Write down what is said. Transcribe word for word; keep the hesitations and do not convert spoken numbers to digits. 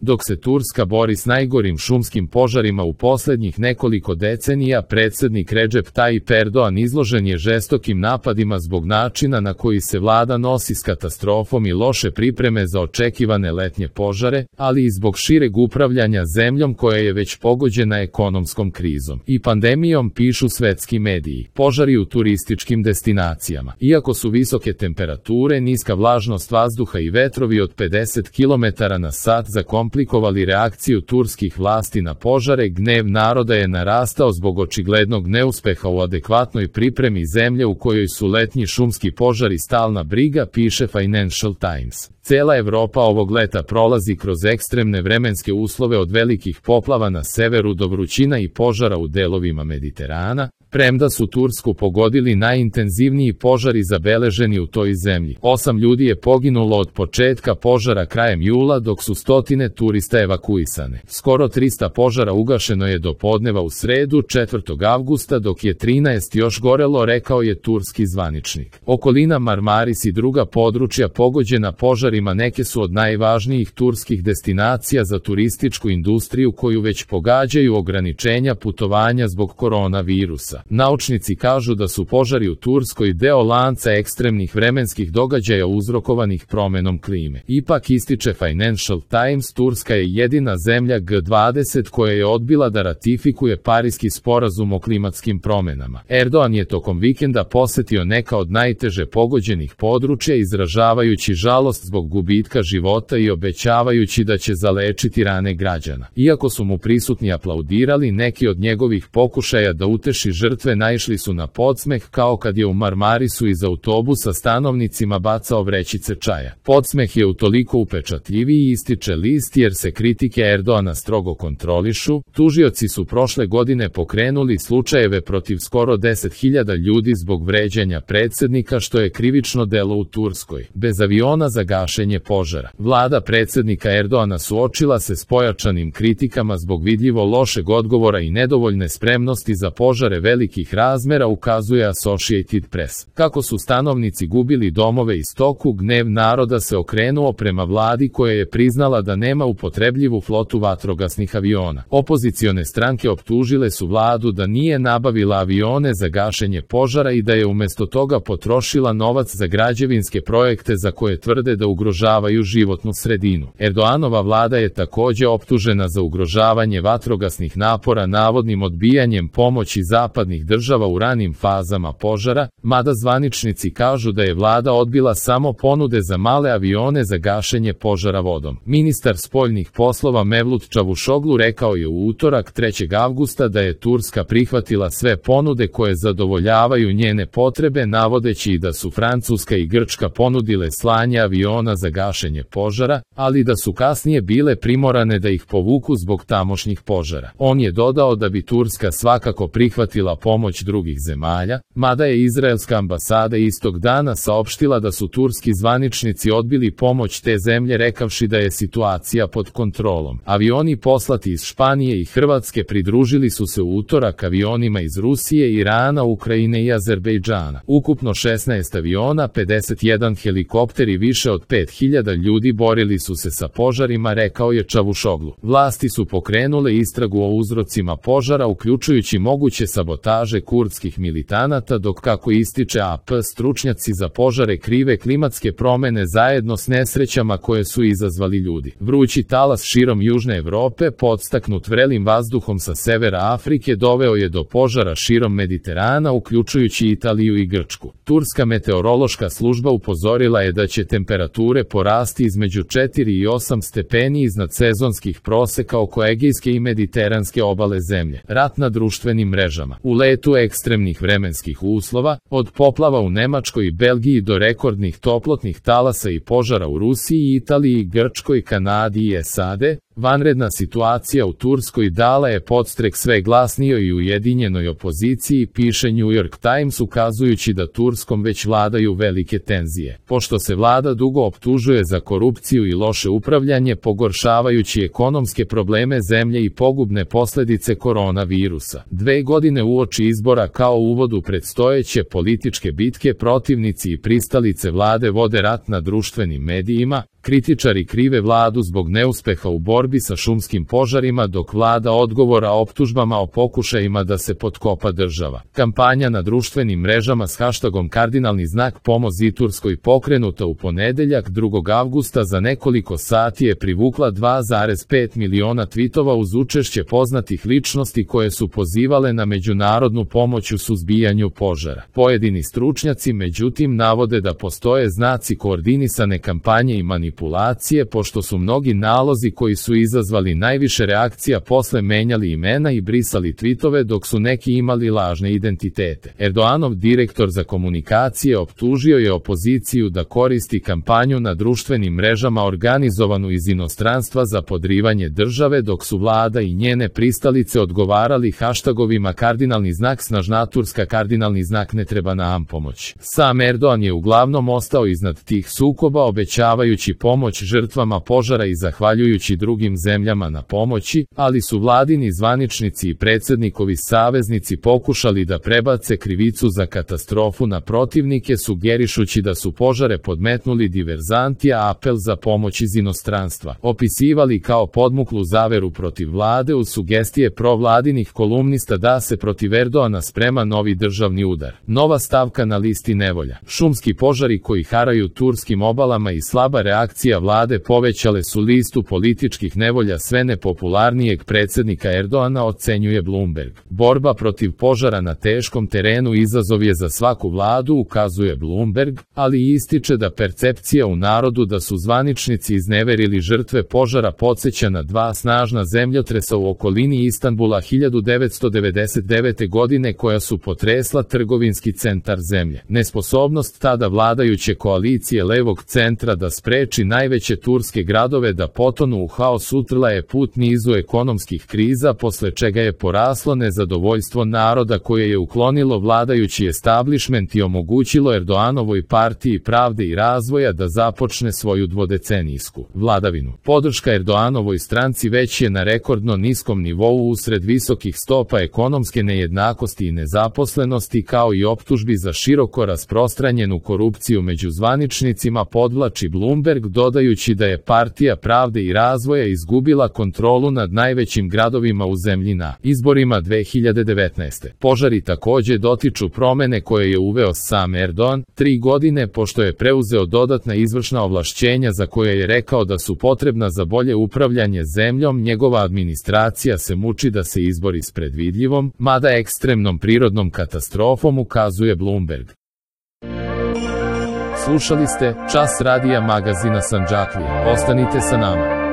Dok se Turska bori s najgorim šumskim požarima u posljednjih nekoliko decenija, predsjednik Recep Tayyip Erdogan izložen je žestokim napadima zbog načina na koji se vlada nosi s katastrofom i loše pripreme za očekivane letnje požare, ali i zbog šireg upravljanja zemljom koja je već pogođena ekonomskom krizom i pandemijom, pišu svetski mediji. Požari u turističkim destinacijama. Iako su visoke temperature, niska vlažnost vazduha i vetrovi od pedeset kilometara na sat zakomplikovali reakciju turskih vlasti na požare, gnev naroda je narastao zbog očiglednog neuspeha u adekvatnoj pripremi zemlje u kojoj su letnji šumski požari stalna briga, piše Financial Times. Cela Evropa ovog leta prolazi kroz ekstremne vremenske uslove od velikih poplava na severu do vrućina i požara u delovima Mediterana, premda su Tursku pogodili najintenzivniji požari zabeleženi u toj zemlji. Osam ljudi je poginulo od početka požara krajem jula, dok su stotine turista evakuisane. Skoro trista požara ugašeno je do podneva u sredu, četvrtog avgusta, dok je trinaest još gorelo, rekao je turski zvaničnik. Okolina Marmaris i druga područja pogođena požarima neke su od najvažnijih turskih destinacija za turističku industriju koju već pogađaju ograničenja putovanja zbog koronavirusa. Naučnici kažu da su požari u Turskoj deo lanca ekstremnih vremenskih događaja uzrokovanih promenom klime. Ipak, ističe Financial Times, Turska je jedina zemlja G dvadeset koja je odbila da ratifikuje Pariski sporazum o klimatskim promenama. Erdogan je tokom vikenda posetio neka od najteže pogođenih područja, izražavajući žalost zbog gubitka života i obećavajući da će zalečiti rane građana. Iako su mu prisutni aplaudirali, neki od njegovih pokušaja da uteši žrtve naišli su na podsmeh, kao kad je u Marmarisu iz autobusa stanovnicima bacao vrećice čaja. Podsmeh je utoliko upečatljiviji, ističe list, jer se kritike Erdogana strogo kontrolišu. Tužioci su prošle godine pokrenuli slučajeve protiv skoro deset hiljada ljudi zbog vređanja predsjednika, što je krivično delo u Turskoj. Bez aviona za gašenje požara. Vlada predsjednika Erdogana suočila se s pojačanim kritikama zbog vidljivo lošeg odgovora i nedovoljne spremnosti za požare velikih razmera, ukazuje Associated Press. Kako su stanovnici gubili domove i stoku, gnev naroda se okrenuo prema vladi koja je priznala da nema upotrebljivu flotu vatrogasnih aviona. Opozicione stranke optužile su vladu da nije nabavila avione za gašenje požara i da je umjesto toga potrošila novac za građevinske projekte za koje tvrde da ugrožavaju životnu sredinu. Erdoganova vlada je također optužena za ugrožavanje vatrogasnih napora navodnim odbijanjem pomoći zapadnih država u ranim fazama požara, mada zvaničnici kažu da je vlada odbila samo ponude za male avione za gašenje požara vodom. Ministar spoljnih poslova Mevlut Čavuşoglu rekao je u utorak trećeg avgusta da je Turska prihvatila sve ponude koje zadovoljavaju njene potrebe, navodeći i da su Francuska i Grčka ponudile slanje aviona za gašenje požara, ali da su kasnije bile primorane da ih povuku zbog tamošnjih požara. On je dodao da bi Turska svakako prihvatila pomoć drugih zemalja, mada je izraelska ambasada istog dana saopštila da su turski zvaničnici odbili pomoć te zemlje, rekavši da je situacija pod kontrolom. Avioni poslati iz Španije i Hrvatske pridružili su se u utorak avionima iz Rusije, Irana, Ukrajine i Azerbejdžana. Ukupno šesnaest aviona, pedeset jedan helikopter i više od pet hiljada ljudi borili su se sa požarima, rekao je Čavuşoglu. Vlasti su pokrenule istragu o uzrocima požara, uključujući moguće sabotaže kurdskih militanata, dok, kako ističe A P, stručnjaci za požare krive klimatske promene zajedno s nesrećama koje su izazvali ljudi. Vrući talas širom Južne Evrope, podstaknut vrelim vazduhom sa severa Afrike, doveo je do požara širom Mediterana, uključujući Italiju i Grčku. Turska meteorološka služba upozorila je da će temperature porasti između četiri i osam stepeni iznad sezonskih proseka oko Egejske i Mediteranske obale zemlje. Rat na društvenim mrežama. U letu ekstremnih vremenskih uslova, od poplava u Nemačkoj i Belgiji do rekordnih toplotnih talasa i požara u Rusiji, Italiji, Grčkoj, Kanadi i S A D, vanredna situacija u Turskoj dala je podstrek sve glasnijoj i ujedinjenoj opoziciji, piše New York Times, ukazujući da Turskom već vladaju velike tenzije. Pošto se vlada dugo optužuje za korupciju i loše upravljanje, pogoršavajući ekonomske probleme zemlje i pogubne posljedice koronavirusa. Dve godine uoči izbora kao uvod u predstojeće političke bitke, protivnici i pristalice vlade vode rat na društvenim medijima, Kritičari krive vladu zbog neuspeha u borbi sa šumskim požarima, dok vlada odgovora optužbama o pokušajima da se potkopa država. Kampanja na društvenim mrežama s haštagom kardinalni znak pomozi Turskoj pokrenuta u ponedeljak drugog avgusta za nekoliko sati je privukla dva zarez pet miliona tvitova uz učešće poznatih ličnosti koje su pozivale na međunarodnu pomoć u suzbijanju požara. Pojedini stručnjaci međutim navode da postoje znaci koordinisane kampanje i manipulacije, pošto su mnogi nalozi koji su izazvali najviše reakcija posle menjali imena i brisali tvitove, dok su neki imali lažne identitete. Erdoganov direktor za komunikacije optužio je opoziciju da koristi kampanju na društvenim mrežama organizovanu iz inostranstva za podrivanje države, dok su vlada i njene pristalice odgovarali haštagovima kardinalni znak snažna Turska, kardinalni znak ne treba nam pomoć. Sam Erdogan je uglavnom ostao iznad tih sukoba, obećavajući pomoć žrtvama požara i zahvaljujući drugim zemljama na pomoći, ali su vladini zvaničnici i predsjednikovi saveznici pokušali da prebace krivicu za katastrofu na protivnike, sugerišući da su požare podmetnuli diverzanti, a apel za pomoć iz inostranstva opisivali kao podmuklu zaveru protiv vlade, uz sugestije provladinih kolumnista da se protiv Erdogana sprema novi državni udar. Nova stavka na listi nevolja. Šumski požari koji haraju turskim obalama i slaba reakcija vlade povećale su listu političkih nevolja sve nepopularnijeg predsjednika Erdogana, ocenjuje Bloomberg. Borba protiv požara na teškom terenu izazov je za svaku vladu, ukazuje Bloomberg, ali ističe da percepcija u narodu da su zvaničnici izneverili žrtve požara podsjeća na dva snažna zemljotresa u okolini Istanbula hiljadu devetsto devedeset devete. godine koja su potresla trgovinski centar zemlje. Nesposobnost tada vladajuće koalicije levog centra da spreči najveće turske gradove da potonu u haos utrla je put nizu ekonomskih kriza, posle čega je poraslo nezadovoljstvo naroda koje je uklonilo vladajući establishment i omogućilo Erdoganovoj partiji pravde i razvoja da započne svoju dvodecenijsku vladavinu. Podrška Erdoganovoj stranci već je na rekordno niskom nivou usred visokih stopa ekonomske nejednakosti i nezaposlenosti, kao i optužbi za široko rasprostranjenu korupciju među zvaničnicima, podvlači Bloomberg, dodajući da je partija pravde i razvoja izgubila kontrolu nad najvećim gradovima u zemlji na izborima dve hiljade devetnaeste. Požari takođe dotiču promene koje je uveo sam Erdogan, tri godine pošto je preuzeo dodatna izvršna ovlašćenja za koje je rekao da su potrebna za bolje upravljanje zemljom. Njegova administracija se muči da se izbori s predvidljivom, mada ekstremnom prirodnom katastrofom, ukazuje Bloomberg. Slušali ste Čas radija magazina Sandžaklije. Ostanite sa nama.